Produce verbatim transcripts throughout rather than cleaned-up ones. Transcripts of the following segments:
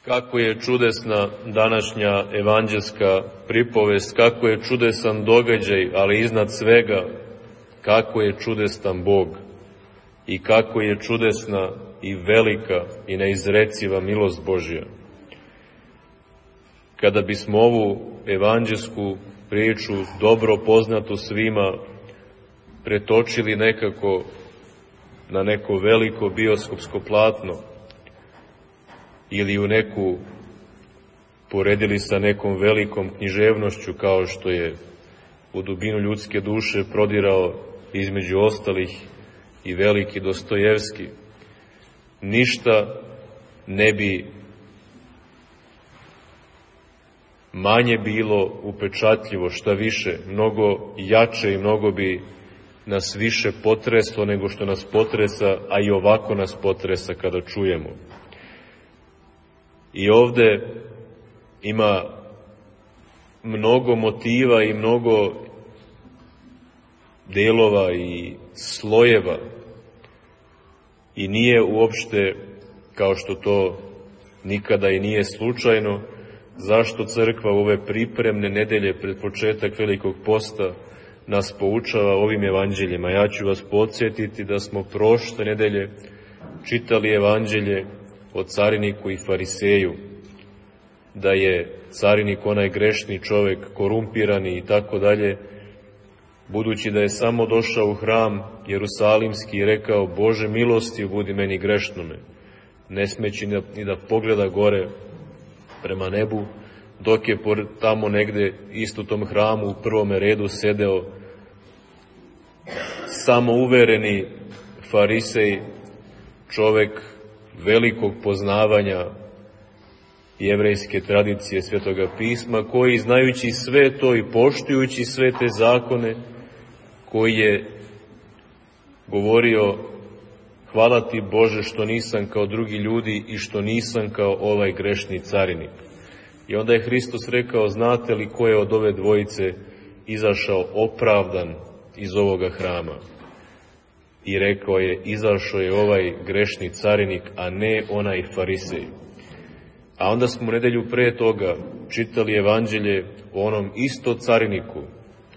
Kako je čudesna današnja evanđelska pripovest, kako je čudesan događaj, ali iznad svega, kako je čudesan Bog i kako je čudesna i velika i neizreciva milost Božja. Kada bismo ovu evanđelsku priču, dobro poznatu svima, pretočili nekako na neko veliko bioskopsko platno, ili u neku, poredili sa nekom velikom književnošću kao što je u dubinu ljudske duše prodirao između ostalih i veliki Dostojevski, ništa ne bi manje bilo upečatljivo, šta više, mnogo jače i mnogo bi nas više potreslo nego što nas potresa, a i ovako nas potresa kada čujemo. I ovde ima mnogo motiva i mnogo delova i slojeva i nije uopšte, kao što to nikada i nije slučajno, zašto crkva u ove pripremne nedelje pred početak Velikog posta nas poučava ovim evanđeljima. Ja ću vas podsjetiti da smo prošle nedelje čitali evanđelje o cariniku i fariseju, da je carinik onaj grešni čovek, korumpirani i tako dalje, budući da je samo došao u hram Jerusalimski i rekao: Bože milosti, budi meni grešnome, ne smeći ni da pogleda gore prema nebu, dok je tamo negde isto u tom hramu u prvome redu sedeo samouvereni farisej, čovek velikog poznavanja jevrejske tradicije Svetoga pisma, koji, znajući sve to i poštujući sve te zakone, koji je govorio: hvala ti Bože što nisam kao drugi ljudi i što nisam kao ovaj grešni carinik. I onda je Hristos rekao: znate li ko je od ove dvojice izašao opravdan iz ovoga hrama? I rekao je: izašao je ovaj grešni carinik, a ne onaj farisej. A onda smo nedelju pre toga čitali evanđelje o onom isto cariniku.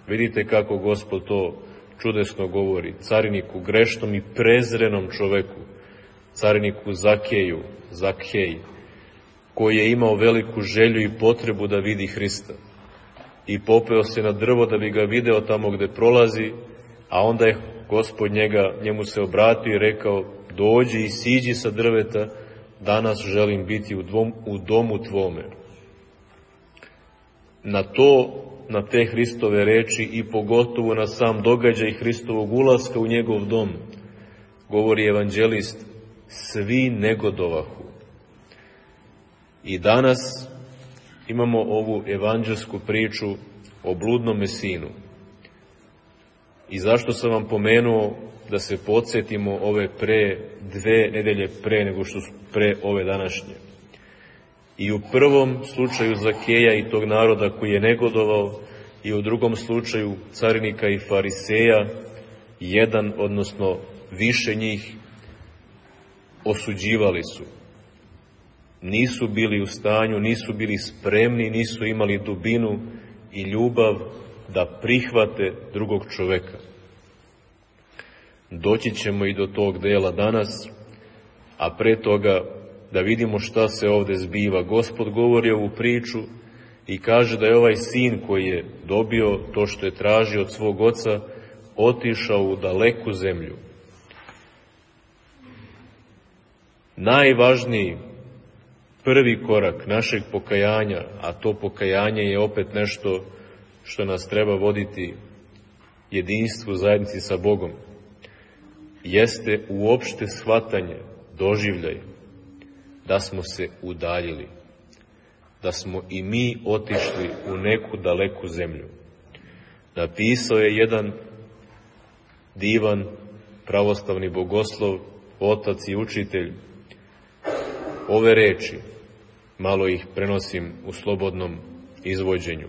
Vidite kako Gospod to čudesno govori. Cariniku, grešnom i prezrenom čoveku, cariniku Zakeju, Zakhej, koji je imao veliku želju i potrebu da vidi Hrista. I popeo se na drvo da bi ga video tamo gde prolazi, a onda je Gospod njega, njemu se obratio i rekao: dođi i siđi sa drveta, danas želim biti u, dvom, u domu tvome. Na to, na te Hristove reči i pogotovo na sam događaj Hristovog ulaska u njegov dom, govori evanđelist, svi negodovahu. I danas imamo ovu evanđelsku priču o bludnome sinu. I zašto sam vam pomenuo da se podsjetimo ove pre, dve nedelje pre nego što su pre ove današnje. I u prvom slučaju Zakeja i tog naroda koji je negodovao, i u drugom slučaju carinika i fariseja, jedan, odnosno više njih, osuđivali su. Nisu bili u stanju, nisu bili spremni, nisu imali dubinu i ljubav da prihvate drugog čoveka. Doći ćemo i do tog dela danas, a pre toga da vidimo šta se ovde zbiva. Gospod govori ovu priču i kaže da je ovaj sin koji je dobio to što je tražio od svog oca, otišao u daleku zemlju. Najvažniji prvi korak našeg pokajanja, a to pokajanje je opet nešto što nas treba voditi jedinstvu, zajednici sa Bogom, jeste uopšte shvatanje, doživljaj, da smo se udaljili, da smo i mi otišli u neku daleku zemlju. Napisao je jedan divan pravoslavni bogoslov, otac i učitelj, ove reči, malo ih prenosim u slobodnom izvođenju.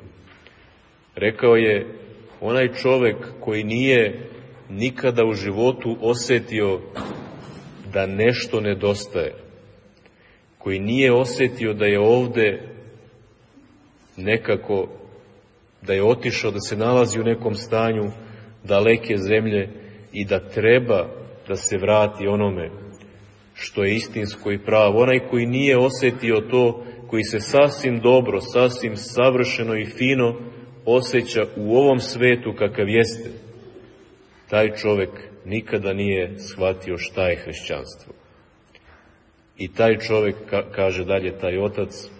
Rekao je: onaj čovek koji nije nikada u životu osetio da nešto nedostaje, koji nije osjetio da je ovde nekako, da je otišao, da se nalazi u nekom stanju daleke zemlje i da treba da se vrati onome što je istinsko i pravo. Onaj koji nije osjetio to, koji se sasvim dobro, sasvim savršeno i fino osjeća u ovom svetu kakav jeste, taj čovjek nikada nije shvatio šta je hrišćanstvo. I taj čovjek, kaže dalje taj otac,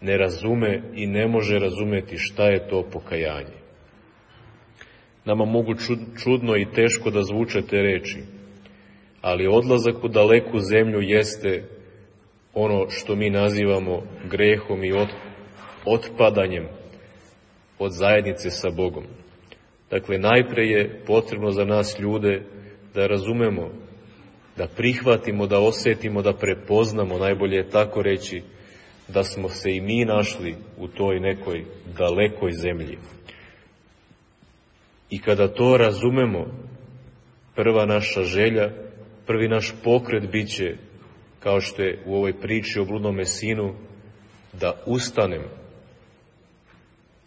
ne razume i ne može razumeti šta je to pokajanje. Nama mogu čudno i teško da zvuče te reči, ali odlazak u daleku zemlju jeste ono što mi nazivamo grehom i otpadanjem od zajednice sa Bogom. Dakle, najpre je potrebno za nas ljude da razumemo, da prihvatimo, da osjetimo, da prepoznamo, najbolje je tako reći, da smo se i mi našli u toj nekoj dalekoj zemlji. I kada to razumemo, prva naša želja, prvi naš pokret bit će, kao što je u ovoj priči o bludnome sinu, da ustanem.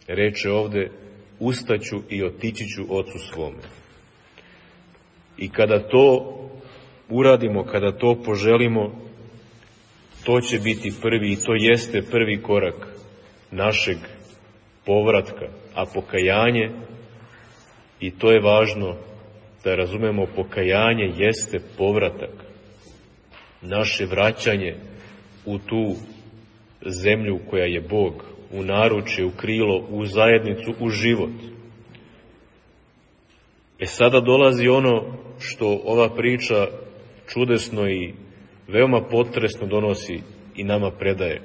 Reče ovde, ustaću i otići ću ocu svome. I kada to uradimo, kada to poželimo, to će biti prvi, i to jeste prvi korak našeg povratka, a pokajanje, i to je važno da razumemo, pokajanje jeste povratak, naše vraćanje u tu zemlju koja je Bog, u naručje, u krilo, u zajednicu, u život. E sada dolazi ono što ova priča čudesno i veoma potresno donosi i nama predaje.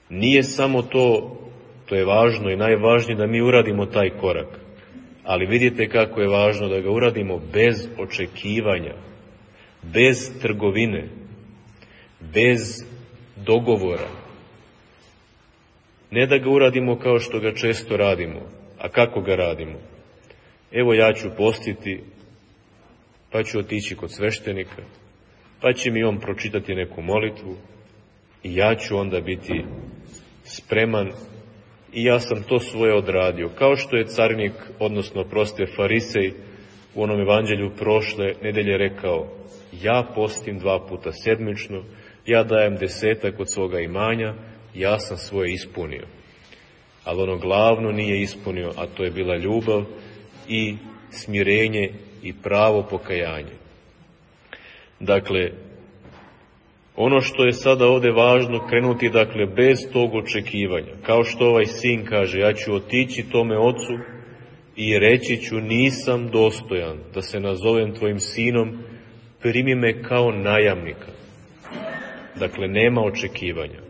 Nije samo to, to je važno i najvažnije da mi uradimo taj korak, ali vidite kako je važno da ga uradimo bez očekivanja, bez trgovine, bez dogovora. Ne da ga uradimo kao što ga često radimo. A kako ga radimo? Evo, ja ću postiti, pa ću otići kod sveštenika, pa će mi on pročitati neku molitvu i ja ću onda biti spreman i ja sam to svoje odradio. Kao što je carinik, odnosno proste farisej, u onom evanđelju prošle nedelje rekao, ja postim dva puta sedmično, ja dajem desetak od svoga imanja, ja sam svoje ispunio. Ali ono glavno nije ispunio, a to je bila ljubav i smirenje i pravo pokajanje. Dakle, ono što je sada ovdje važno, krenuti dakle bez tog očekivanja. Kao što ovaj sin kaže, ja ću otići tome ocu i reći ću, nisam dostojan da se nazovem tvojim sinom, primi me kao najamnika. Dakle, nema očekivanja.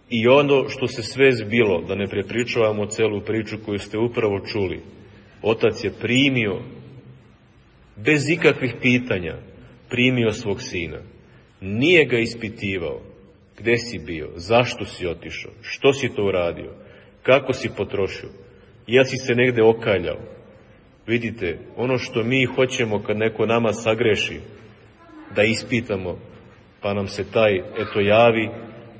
I ono što se sve zbilo, da ne prepričavamo celu priču koju ste upravo čuli, otac je primio, bez ikakvih pitanja, primio svog sina. Nije ga ispitivao. Gde si bio? Zašto si otišao? Što si to uradio? Kako si potrošio? Ja si se negde okaljao. Vidite, ono što mi hoćemo kad neko nama sagreši, da ispitamo, pa nam se taj eto javi,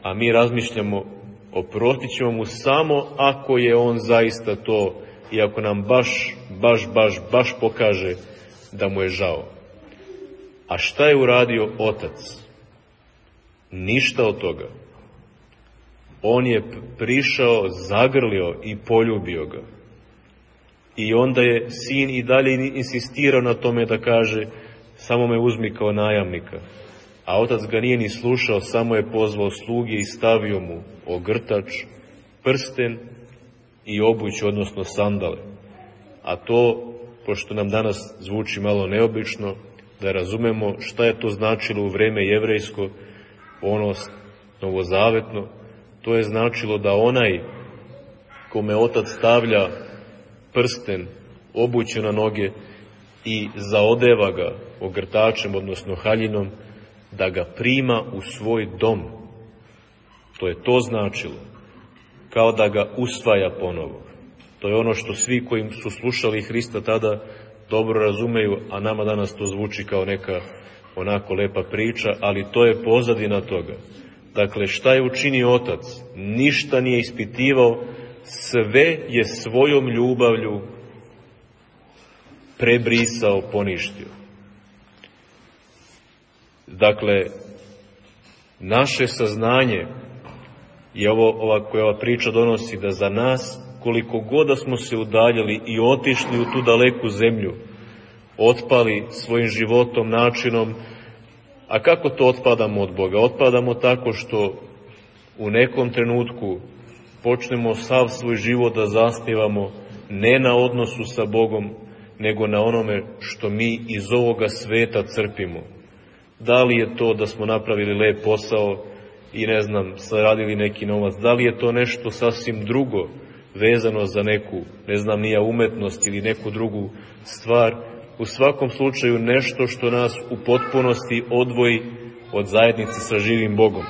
a mi razmišljamo, oprostit ćemo mu samo ako je on zaista to i ako nam baš, baš, baš, baš pokaže da mu je žao. A šta je uradio otac? Ništa od toga. On je prišao, zagrlio i poljubio ga. I onda je sin i dalje insistirao na tome da kaže, samo me uzmi kao najamnika. A otac ga nije ni slušao, samo je pozvao sluge i stavio mu ogrtač, prsten i obuć, odnosno sandale. A to, pošto nam danas zvuči malo neobično, da razumemo šta je to značilo u vreme jevrejsko, ono novozavetno, to je značilo da onaj kome otac stavlja prsten, obuće na noge i zaodeva ga ogrtačem, odnosno haljinom, da ga prima u svoj dom. To je to značilo. Kao da ga usvaja ponovo. To je ono što svi koji su slušali Hrista tada dobro razumeju, a nama danas to zvuči kao neka onako lepa priča, ali to je pozadina toga. Dakle, šta je učinio otac? Ništa nije ispitivao, sve je svojom ljubavlju prebrisao, poništio. Dakle, naše saznanje i ovo, ova, koja ova priča donosi, da za nas, koliko god da smo se udaljili i otišli u tu daleku zemlju, otpali svojim životom, načinom, a kako to otpadamo od Boga? Otpadamo tako što u nekom trenutku počnemo sav svoj život da zasnivamo ne na odnosu sa Bogom, nego na onome što mi iz ovoga sveta crpimo. Da li je to da smo napravili lep posao i ne znam, saradili neki novac, da li je to nešto sasvim drugo vezano za neku, ne znam, nija umetnost ili neku drugu stvar, u svakom slučaju nešto što nas u potpunosti odvoji od zajednice sa živim Bogom.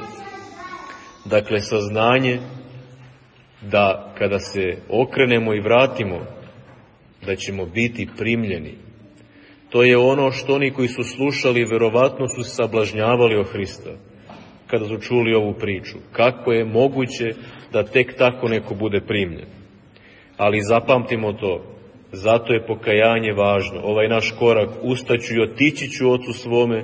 Dakle, saznanje da kada se okrenemo i vratimo, da ćemo biti primljeni. To je ono što oni koji su slušali, verovatno su sablažnjavali o Hrista, kada su čuli ovu priču. Kako je moguće da tek tako neko bude primljen? Ali zapamtimo to, zato je pokajanje važno. Ovaj naš korak, ustaću i otići ću ocu svome,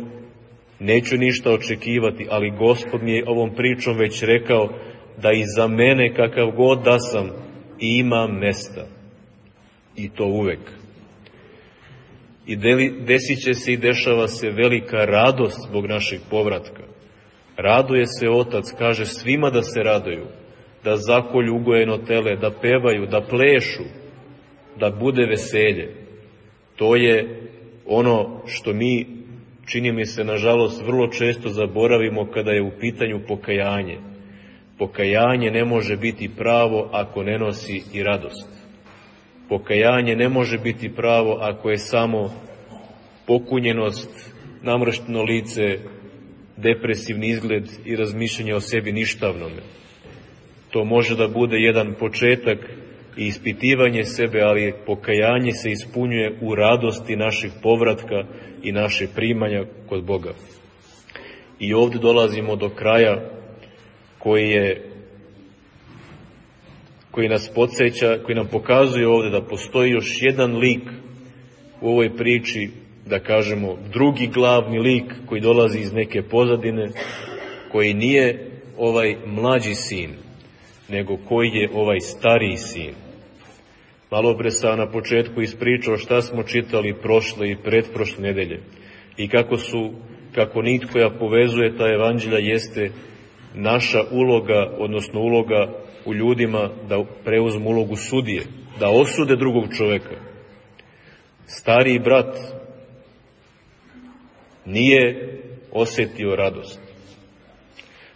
neću ništa očekivati, ali Gospod mi je ovom pričom već rekao da i za mene, kakav god da sam, ima mesta. I to uvek. I desit će se i dešava se velika radost zbog našeg povratka. Raduje se otac, kaže svima da se raduju, da zakolju ugojeno tele, da pevaju, da plešu, da bude veselje. To je ono što mi, čini mi se, nažalost, vrlo često zaboravimo kada je u pitanju pokajanje. Pokajanje ne može biti pravo ako ne nosi i radost. Pokajanje ne može biti pravo ako je samo pokunjenost, namršteno lice, depresivni izgled i razmišljanje o sebi ništavnome. To može da bude jedan početak i ispitivanje sebe, ali pokajanje se ispunjuje u radosti našeg povratka i naše primanja kod Boga. I ovdje dolazimo do kraja koji je koji nas podsjeća, koji nam pokazuje ovdje da postoji još jedan lik u ovoj priči, da kažemo drugi glavni lik koji dolazi iz neke pozadine, koji nije ovaj mlađi sin, nego koji je ovaj stariji sin. Malo pre sam na početku ispričao šta smo čitali prošle i pretprošle nedelje i kako su, kako nit koja povezuje ta evanđelja jeste naša uloga, odnosno uloga u ljudima da preuzmu ulogu sudije, da osude drugog čoveka. Stariji brat nije osjetio radost.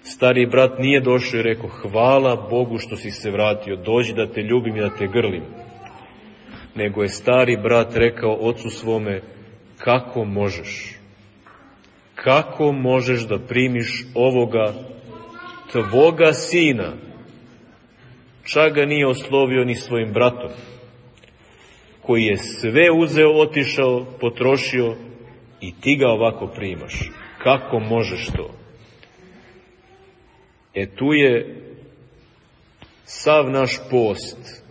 Stariji brat nije došao i rekao hvala Bogu što si se vratio, dođi da te ljubim i da te grlim. Nego je stari brat rekao ocu svome kako možeš, kako možeš da primiš ovoga tvoga sina, čak ga nije oslovio ni svojim bratom, koji je sve uzeo, otišao, potrošio i ti ga ovako primaš. Kako možeš to? E tu je sav naš post,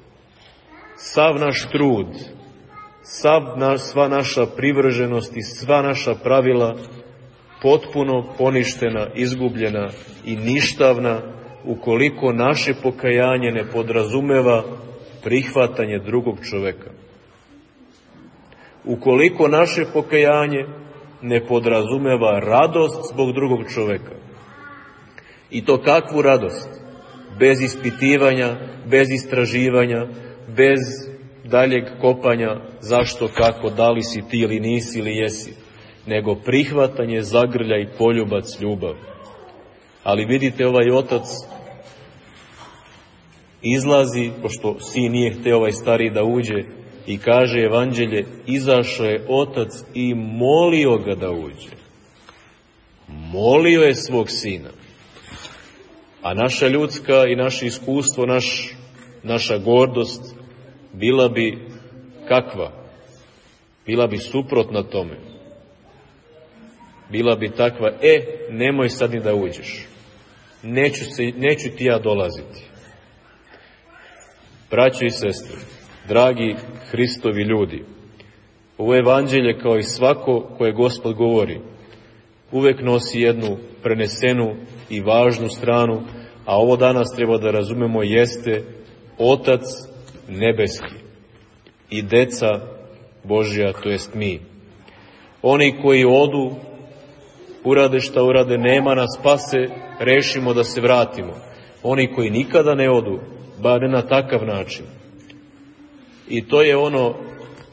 sav naš trud, sav na, sva naša privrženost i sva naša pravila potpuno poništena, izgubljena i ništavna ukoliko naše pokajanje ne podrazumeva prihvatanje drugog čoveka. Ukoliko naše pokajanje ne podrazumeva radost zbog drugog čoveka. I to kakvu radost? Bez ispitivanja, bez istraživanja, bez daljeg kopanja zašto, kako, da li si ti ili nisi ili jesi, nego prihvatanje, zagrljaj, poljubac, ljubav. Ali vidite, ovaj otac izlazi, pošto sin nije hteo ovaj stariji da uđe, i kaže evanđelje, izašao je otac i molio ga da uđe. Molio je svog sina. A naša ljudska i naše iskustvo, naš, naša gordost, bila bi kakva? Bila bi suprotna tome. bila bi takva, e, nemoj sad ni da uđeš. Neću, se, neću ti ja dolaziti. Braćo i sestre, dragi Hristovi ljudi, ovo evanđelje, kao i svako koje Gospod govori, uvek nosi jednu prenesenu i važnu stranu, a ovo danas treba da razumemo jeste Otac nebeski i deca Božja, to jest mi. Oni koji odu, urade šta urade, nema nas, spase, rešimo da se vratimo. Oni koji nikada ne odu, bar ne na takav način. I to je ono,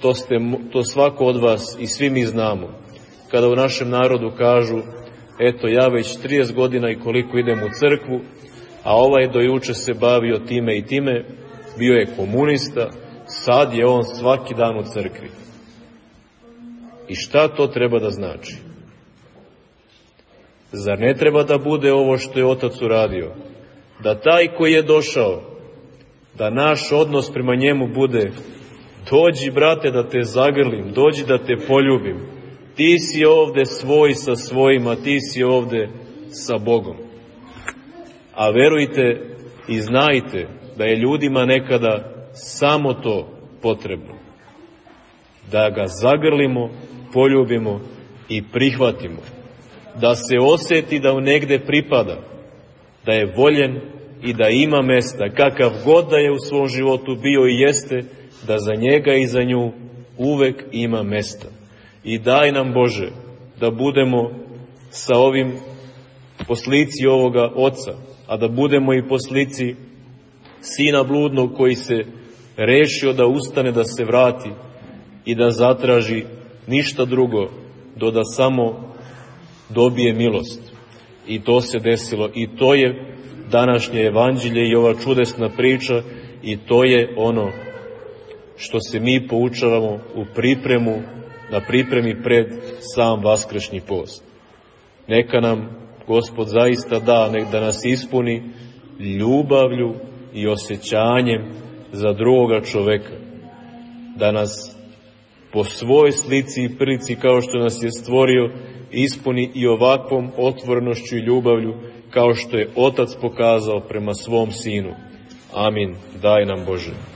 to, ste, to svako od vas i svi mi znamo, kada u našem narodu kažu, eto ja već trideset godina i koliko idem u crkvu, a ovaj do juče se bavio time i time, bio je komunista, sad je on svaki dan u crkvi. I šta to treba da znači? Zar ne treba da bude ovo što je Otac uradio? Da taj koji je došao, da naš odnos prema njemu bude, dođi brate da te zagrlim, dođi da te poljubim, ti si ovde svoj sa svojima, ti si ovde sa Bogom. A verujte i znajte da je ljudima nekada samo to potrebno. Da ga zagrlimo, poljubimo i prihvatimo. Da se oseti da u negde pripada, da je voljen i da ima mesta, kakav god da je u svom životu bio i jeste, da za njega i za nju uvek ima mesta. I daj nam, Bože, da budemo sa ovim poslici ovoga Oca, a da budemo i poslici Sina bludnog koji se rešio da ustane, da se vrati i da zatraži ništa drugo do da samo dobije milost. I to se desilo i to je današnje evanđelje i ova čudesna priča i to je ono što se mi poučavamo u pripremu, na pripremi pred sam vaskršnji post. Neka nam Gospod zaista da, nek da nas ispuni ljubavlju i osjećanjem za drugoga čoveka, da nas po svojoj slici i prilici kao što nas je stvorio ispuni i ovakvom otvorenošću i ljubavlju kao što je Otac pokazao prema svom Sinu. Amin. Daj nam, Bože.